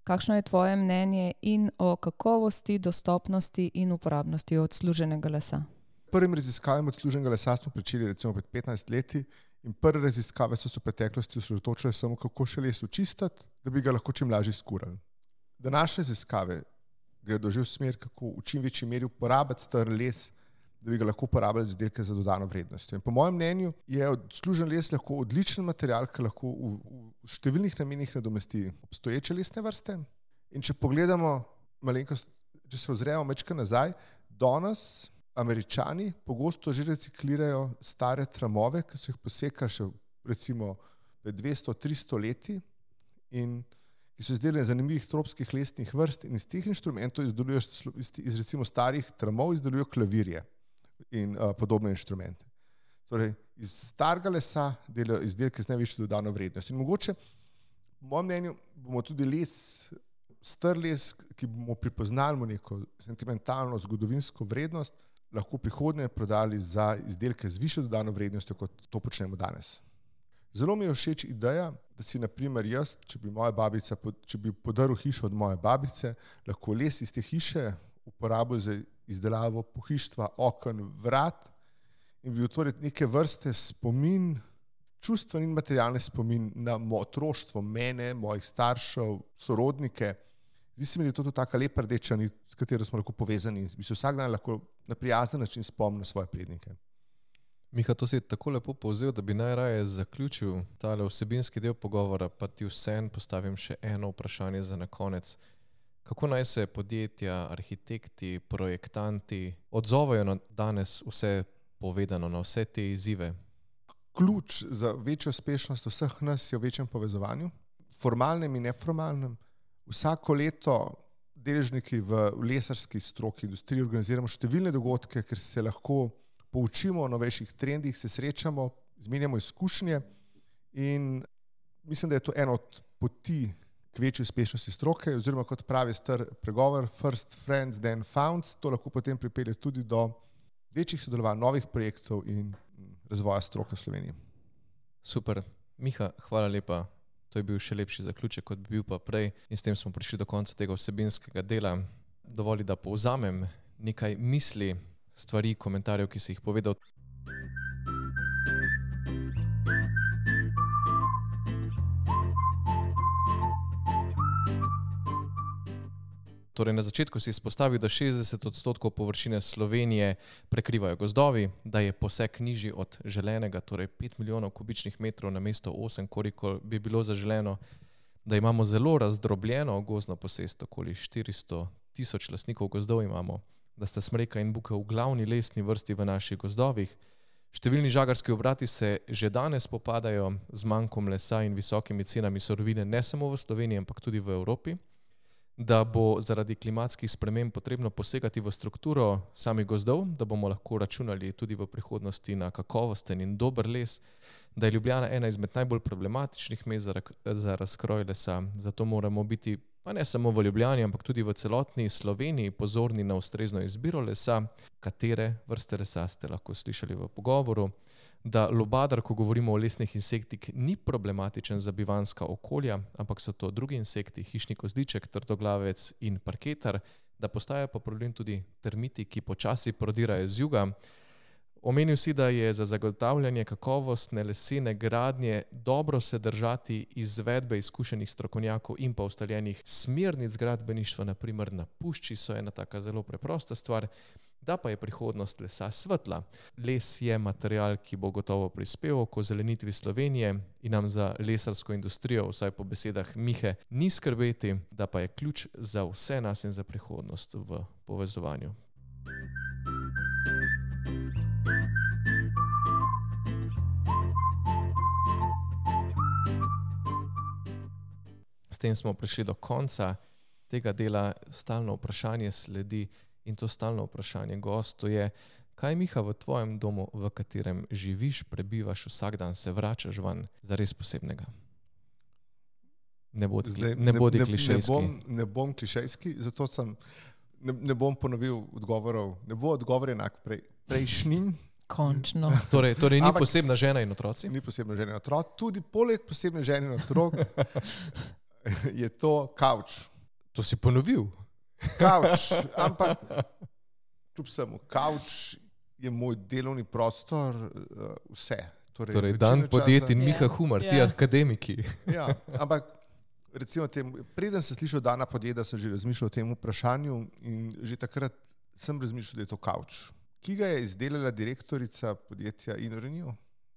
Kakšno je tvoje mnenje in o kakovosti, dostopnosti in uporabnosti odsluženega lesa? Prvim raziskavam odsluženega lesa smo pričeli recimo pred petnajst leti in prve raziskave so se v preteklosti osredotočile samo, kako še les očistiti, da bi ga lahko čim lažje skurali. Današnje raziskave gredo že v smer, kako v čim večji meri uporabiti star les, da bi ga lahko uporabljali za izdelke za dodano vrednostjo. In po mojem mnenju je odslužen les lahko odličen material, ki lahko v, v številnih namenih nadomesti obstoječe lesne vrste. In če pogledamo malenkost, če se ozremo mečka nazaj, danes Američani pogosto že reciklirajo stare tramove, ki so jih posekali še recimo pred dvesto do tristo leti in ki so izdelane zanimivih tropskih lesnih vrst in iz teh inštrumentov izdelujejo, iz recimo starih tramov izdelujejo klavirje in uh, podobne inštrumente. Torej, iz starega lesa delajo izdelke z najvišjo dodano vrednost. In mogoče, po mojem mnenju, bomo tudi les, star les, ki bomo pripoznali neko sentimentalno zgodovinsko vrednost, lahko prihodnje prodali za izdelke z višjo dodano vrednostjo, kot to počnemo danes. Zelo mi je všeč ideja, da si na primer jaz, če bi moja babica, če bi podaril hišo od moje babice, lahko les iz te hiše uporabil za izdelavo pohištva, oken, vrat in bi bil torej neke vrste spomin čustven in materialni spomin na moje otroštvo, mene, mojih staršev, sorodnike. Zdi se mi, da je to tudi taka lepa rdeča nit, s katero smo lahko povezani in bi se vsak dan lahko na prijazen način spomnil na svoje prednike. Miha, to si tako lepo povzel, da bi najraje zaključil tale vsebinski del pogovora, pa ti vseeno postavim še eno vprašanje za na konec. Kako naj se podjetja, arhitekti, projektanti odzovejo na danes vse povedano, na vse te izzive? Ključ za večjo uspešnost vseh nas je v večjem povezovanju, formalnem in neformalnem. Vsako leto deležniki v lesarski stroki, industriji organiziramo številne dogodke, ker se lahko poučimo o novejših trendih, se srečamo, izmenjamo izkušnje in mislim, da je to ena od poti k večji uspešnosti stroke, oziroma kot pravi star pregovor, first friends, then found, to lahko potem pripelje tudi do večjih sodelovanj, novih projektov in razvoja stroke v Sloveniji. Super. Miha, hvala lepa. To je bil še lepši zaključek, kot bi bil pa prej in s tem smo prišli do konca tega vsebinskega dela. Dovoli, da povzamem nekaj misli, stvari, komentarjev, ki si jih povedal. Torej, na začetku si izpostavil, da šestdeset odstotkov površine Slovenije prekrivajo gozdovi, da je posek nižji od želenega, torej pet milijonov kubičnih metrov na mesto osem, koliko bi bilo zaželeno, da imamo zelo razdrobljeno gozdno posest, okoli štiristo tisoč lastnikov gozdov imamo, da sta smreka in bukev v glavni lesni vrsti v naših gozdovih. Številni žagarski obrati se že danes spopadajo z mankom lesa in visokimi cenami surovine ne samo v Sloveniji, ampak tudi v Evropi, da bo zaradi klimatskih sprememb potrebno posegati v strukturo samih gozdov, da bomo lahko računali tudi v prihodnosti na kakovosten in dober les, da je Ljubljana ena izmed najbolj problematičnih mest za, za razkroj lesa. Zato moramo biti, pa ne samo v Ljubljani, ampak tudi v celotni Sloveniji pozorni na ustrezno izbiro lesa, katere vrste lesa ste lahko slišali v pogovoru, da lubadar, ko govorimo o lesnih insektih, ni problematičen za bivanjska okolja, ampak so to drugi insekti, hišni kozliček, trdoglavec in parketar, da postajajo pa problem tudi termiti, ki počasi prodirajo z juga. Omenil si, da je za zagotavljanje kakovostne lesene gradnje dobro se držati izvedbe izkušenih strokovnjakov in pa ustaljenih smernic gradbeništva, na primer na pušči so ena taka zelo preprosta stvar, da pa je prihodnost lesa svetla. Les je material, ki bo gotovo prispeval k ozelenitvi Slovenije in nam za lesarsko industrijo, vsaj po besedah Mihe, ni skrbeti, da pa je ključ za vse nas in za prihodnost v povezovanju. S tem smo prišli do konca tega dela. Stalno vprašanje sledi in to stalno vprašanje gostu je, kaj Miha v tvojem domu, v katerem živiš, prebivaš vsak dan, se vračaš van za res posebnega? Ne bodi, Zdaj, ne bodi ne, klišejski. Ne bom, ne bom klišejski, zato sem, ne, ne bom ponovil odgovorov. Ne bo odgovor enak prej, prejšnjim. Končno. Torej, torej ni Ampak, posebna žena in otroci? Ni posebna žena in otrok. Tudi poleg posebne žene in otrok je to kavč. To si ponovil? Kavč, ampak kljub vsemu, kavč je moj delovni prostor, uh, vse. Torej, torej dan podjet in Miha Humar, yeah. ti yeah. akademiki. Ja, ampak recimo tem, preden sem slišal dana podjeda, sem že razmišljal o tem vprašanju in že takrat sem razmišljal, da je to kavč, ki ga je izdelala direktorica podjetja InnoRenew.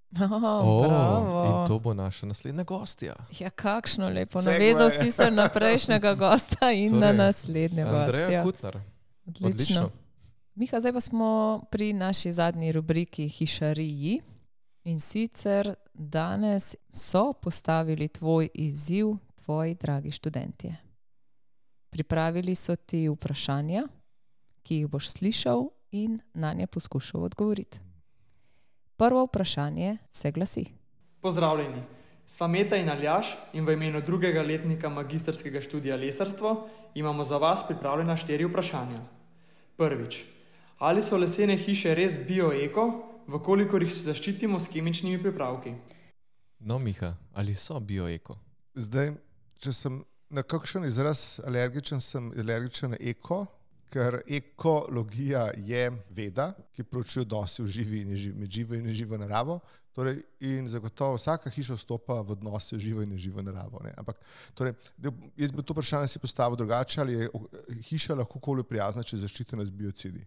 Oh, oh, in to bo naša naslednja gostja. Ja, kakšno lepo. Navezal si se na prejšnjega gosta in torej, na naslednjega gosta. Andreja Kutnar. Odlično. Odlično. Miha, zdaj pa smo pri naši zadnji rubriki Hišariji in sicer danes so postavili tvoj izziv, tvoji dragi študentje. Pripravili so ti vprašanja, ki jih boš slišal in na nje poskušal odgovoriti. Prvo vprašanje se glasi. Pozdravljeni, sva Meta in Aljaž in v imenu drugega letnika magistrskega študija lesarstvo imamo za vas pripravljena štiri vprašanja. Prvič, ali so lesene hiše res bio-eko, vkolikor jih se zaščitimo s kemičnimi pripravki? No, Miha, ali so bio-eko? Zdaj, če sem na kakšen izraz alergičen, sem alergičen na eko, ker ekologija je veda, ki proučuje odnose v živi in neživo, med živo in neživo naravo. Torej, in zagotovo vsaka hiša vstopa v odnose živo in neživo naravo. Ne. Ampak, torej, jaz bi to vprašanje si postavil drugače, ali je hiša lahko okolju prijazna, če je zaščitena z biocidi.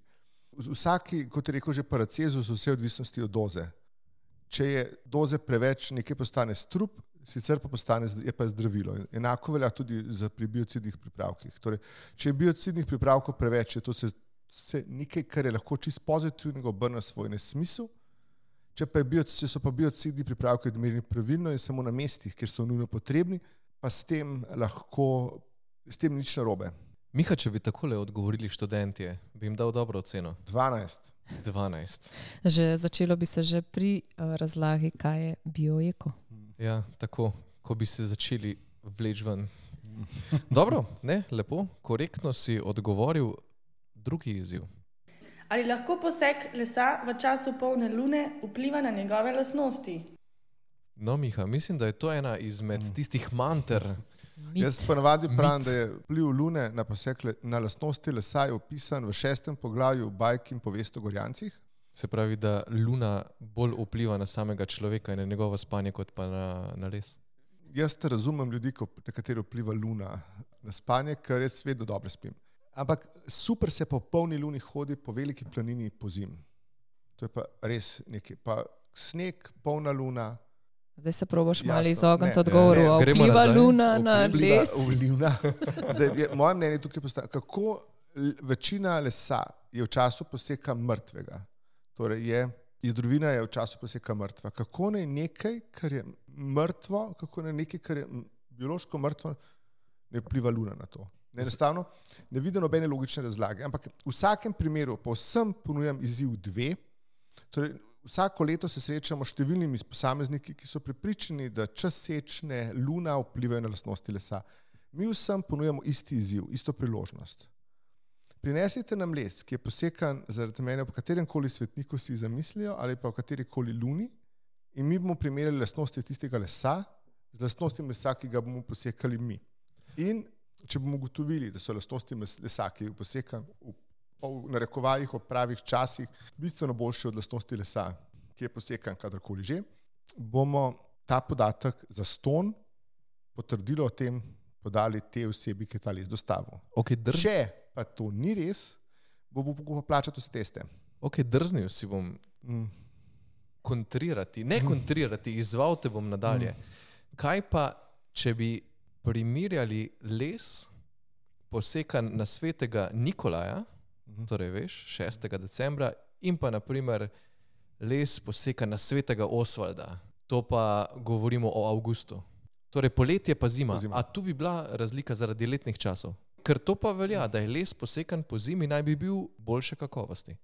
Vsaki, kot je rekel že Paracelsus, vse odvisnosti od doze. Če je doze preveč, nekaj postane strup, sicer pa postane je pa zdravilo. Enako velja tudi za pri biocidnih pripravkih. Torej, če je biocidnih pripravkov preveč, je to se, se nekaj, kar je lahko čist pozitivnega obrne svoj nesmisel. Če, pa je bio, če so pa biocidni pripravki odmerjeni pravilno in samo na mestih, kjer so nujno potrebni, pa s tem lahko, s tem nič narobe. Miha, če bi takole odgovorili študentje, bi jim dal dobro oceno. dvanajst. dvanajst. Že začelo bi se že pri uh, razlagi, kaj je bioeko. Ja, tako, ko bi se začeli vleč ven. Dobro, ne, lepo, korektno si odgovoril. Drugi izziv. Ali lahko posek lesa v času polne lune vpliva na njegove lastnosti? No, Miha, mislim, da je to ena izmed tistih manter. Mit. Jaz ponavadi pravim, da je vpliv lune na posek le, na lastnosti lesa je opisan v šestem poglavju bajk in povest o Gorjancih. Se pravi, da luna bolj vpliva na samega človeka in na njegovo spanje, kot pa na, na les. Jaz te razumem ljudi, ko, na katero vpliva luna na spanje, ker jaz vedno dobro spim. Ampak super se po polni luni hodi po veliki planini po zim. To je pa res nekaj. Pa sneg, polna luna. Zdaj se probaš Jasno, malo izogniti ne, odgovoru. ne, A gremo vpliva nazaj. luna na Vpliva les? luna. Zdaj, je, moje mnenje tukaj postaja, kako l- večina lesa je v času poseka mrtvega. Torej je, jedrovina je v času poseka mrtva. Kako naj nekaj, kar je mrtvo, kako naj nekaj, kar je biološko mrtvo, ne vpliva luna na to. Enostavno, ne vidim nobene logične razlage. Ampak v vsakem primeru povsem ponujam izziv dve. Torej, vsako leto se srečamo s številnimi posamezniki, ki so prepričani, da čas sečne luna vplivajo na lastnosti lesa. Mi vsem ponujamo isti izziv, isto priložnost. Prinesite nam les, ki je posekan zaradi mene po katerem koli svetniku si zamislijo ali pa v kateri koli luni, in mi bomo primerjali lastnosti tistega lesa z lastnostmi lesa, ki ga bomo posekali mi. In če bomo ugotovili, da so lastnosti lesa, ki je posekan v, v narekovajih ob pravih časih, bistveno boljše od lastnosti lesa, ki je posekan kadarkoli že, bomo ta podatek za ston potrdilo o tem podali te osebi, ki je ta les dostavil. Okay, drž... Če pa to ni res, bo bo pa plačati vse teste. Ok, drznil si bom Mm. kontrirati, ne kontrirati, izval te bom nadalje. Kaj pa, če bi primerjali les posekan na svetega Nikolaja, torej veš, šestega decembra, in pa naprimer les posekan na svetega Osvalda, to pa govorimo o avgustu. Torej poletje pa zima. Zima. A tu bi bila razlika zaradi letnih časov? Ker to pa velja, da je les posekan po zimi, naj bi bil boljše kakovosti.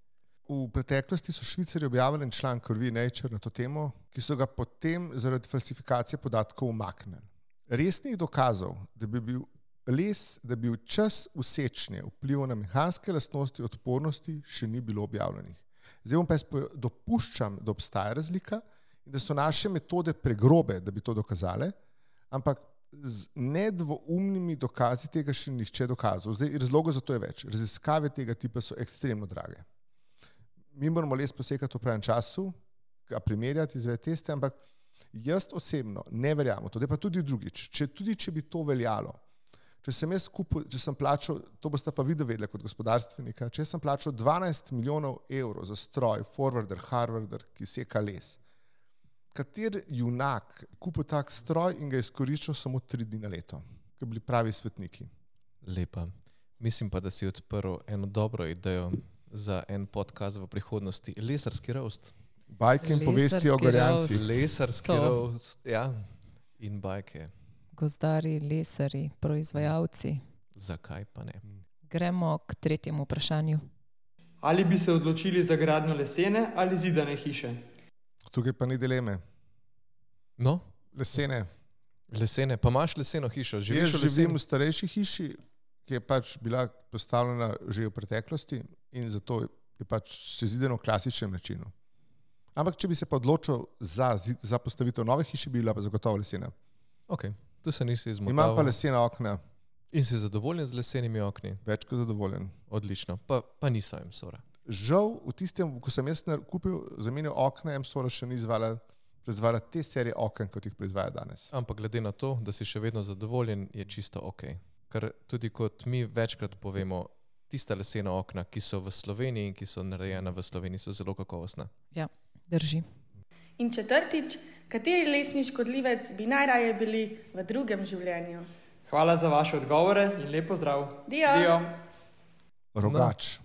V preteklosti so Švicarji objavili en članek v reviji Nature na to temo, ki so ga potem zaradi falsifikacije podatkov umaknili. Resnih dokazov, da bi bil les, da bi bil čas usečnje vplival na mehanske lastnosti odpornosti, še ni bilo objavljenih. Zdaj bom pa jaz dopuščam, da obstaja razlika in da so naše metode pregrobe, da bi to dokazale, ampak z nedvoumnimi dokazi tega še nihče dokazal. Zdaj, razlogov za to je več. Raziskave tega tipa so ekstremno drage. Mi moramo les posekati v pravem času, ga primerjati, izvedeti teste, ampak jaz osebno ne verjamem to. Da pa tudi drugič, če, tudi če bi to veljalo, če sem jaz kupil, če sem plačal, to boste pa vi vedeli kot gospodarstvenika, če sem plačal dvanajst milijonov evrov za stroj, forwarder, harvarder, ki seka les, kater junak kupil tak stroj in ga izkoriščal samo tri dni na leto, ki bili pravi svetniki. Lepa. Mislim pa, da si odprl eno dobro idejo za en podcast v prihodnosti. Lesarski roast. Bajke in povesti o Lesarski Gorjancih. Lesarski To. roast, ja. In bajke. Gozdari, lesari, proizvajalci. Zakaj pa ne? Gremo k tretjemu vprašanju. Ali bi se odločili za gradnjo lesene ali zidane hiše? Tukaj pa ni dileme. No, Lesene. lesene. Pa imaš leseno hišo? Jaz Živiš v živim leseni? v starejši hiši, ki je pač bila postavljena že v preteklosti in zato je pač sezidano v klasičnem načinu. Ampak če bi se pa odločil za, zid- za postavitev nove hiše, bi bila pa zagotovo lesena. Ok, tu se nisi izmotal. Imam pa lesena okna. In si zadovoljen z lesenimi okni? Več kot zadovoljen. Odlično, pa, pa niso M-Sora. Žal, v tistem, ko sem jaz nar- kupil, zamenil okna, M-Sora še ni izvala, proizvala te serije oken, kot jih proizvaja danes. Ampak glede na to, da si še vedno zadovoljen, je čisto ok. Ker tudi kot mi večkrat povemo, tista lesena okna, ki so v Sloveniji in ki so narejena v Sloveniji, so zelo kakovostna. Ja, drži. In četrtič, kateri lesni škodljivec bi najraje bili v drugem življenju? Hvala za vaše odgovore in lep pozdrav. Dio. Dio. Rogač.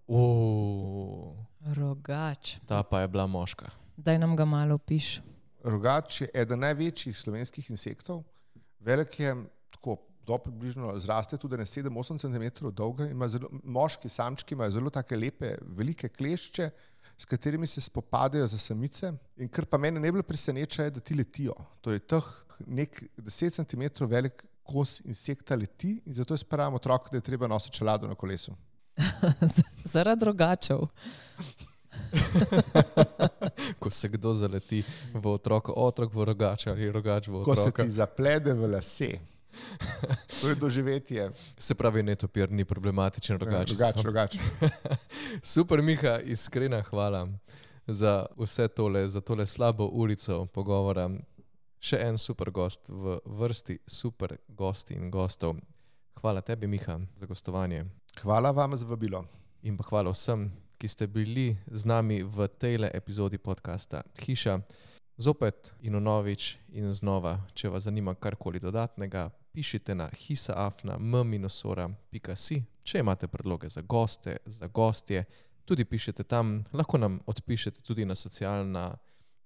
Uuu, Rogač. ta pa je bila moška. Daj nam ga malo opiš. Rogač je eden največjih slovenskih insektov. Velik je, tako do približno zraste tudi na sedem do osem centimetrov dolga. Ima zelo, moški samčki imajo zelo take lepe, velike klešče, s katerimi se spopadajo za samice. In kar pa mene najbolj preseneča, je, da ti letijo. Torej, teh nek deset centimetrov velik kos insekta leti in zato je spravim otrok, da je treba nositi čelado na kolesu. Zaradi rogačev. Ko se kdo zaleti v otroka, otrok v rogača ali rogač v Ko se otroka. ti zaplede v lase. To je doživetje. Se pravi, netopir ni problematičen rogač. Rogač, rogač. Super, Miha, iskrena hvala za vse tole, za tole slabo urico pogovora. Še en super gost v vrsti super gosti in gostov. Hvala tebi, Miha, za gostovanje. Hvala vam za vabilo. In pa hvala vsem, ki ste bili z nami v tejle epizodi podcasta Hiša. Zopet in vnovič in znova, če vas zanima karkoli dodatnega, pišite na hisaafna m sora pika si. Če imate predloge za goste, za gostje, tudi pišete tam. Lahko nam odpišete tudi na, socialna,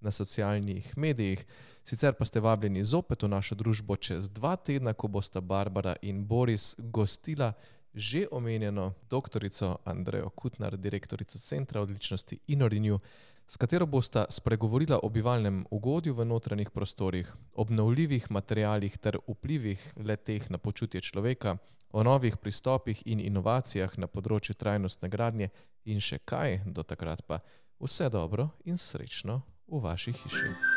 na socialnih medijih. Sicer pa ste vabljeni zopet v našo družbo čez dva tedna, ko bosta Barbara in Boris gostila že omenjeno doktorico Andrejo Kutnar, direktorico Centra odličnosti InnoRenew, s katero bosta spregovorila o bivalnem ugodju v notranjih prostorih, obnovljivih materialih ter vplivih le-teh na počutje človeka, o novih pristopih in inovacijah na področju trajnostne gradnje in še kaj. Do takrat pa vse dobro in srečno v vaši hiši.